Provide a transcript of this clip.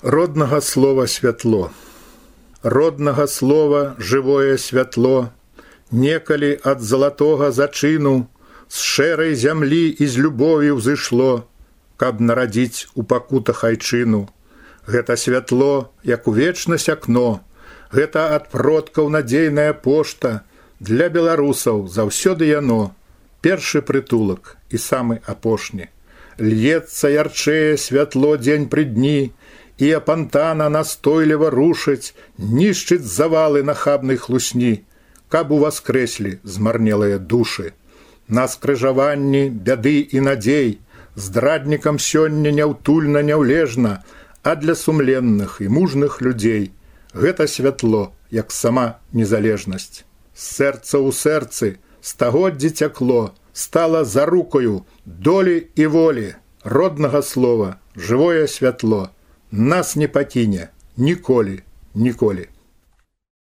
Роднага слова святло, роднага слова жывое святло, некалі ад залатога зачыну з шэрай зямлі і з любові ўзышло, каб нарадзіць у пакутах айчыну. Гэта святло, як у вечнасць акно, гэта ад продкаў надзейная пошта, для беларусаў заўсёды яно, першы прытулак і самы апошні. Льецца ярчэе святло дзень пры дні, і апантана настойліва рушыць, нішчыць завалы нахабнай хлусні, каб уваскрэслі змарнелыя душы. На скрыжаванні бяды і надзей здраднікам сёння няўтульна няўлежна, а для сумленных і мужных людзей гэта святло, як сама незалежнасць. З сэрца ў сэрцы стагоддзі цякло, стала зарукаю долі і волі, роднага слова, жывое святло, нас не пакіне ніколі, ніколі.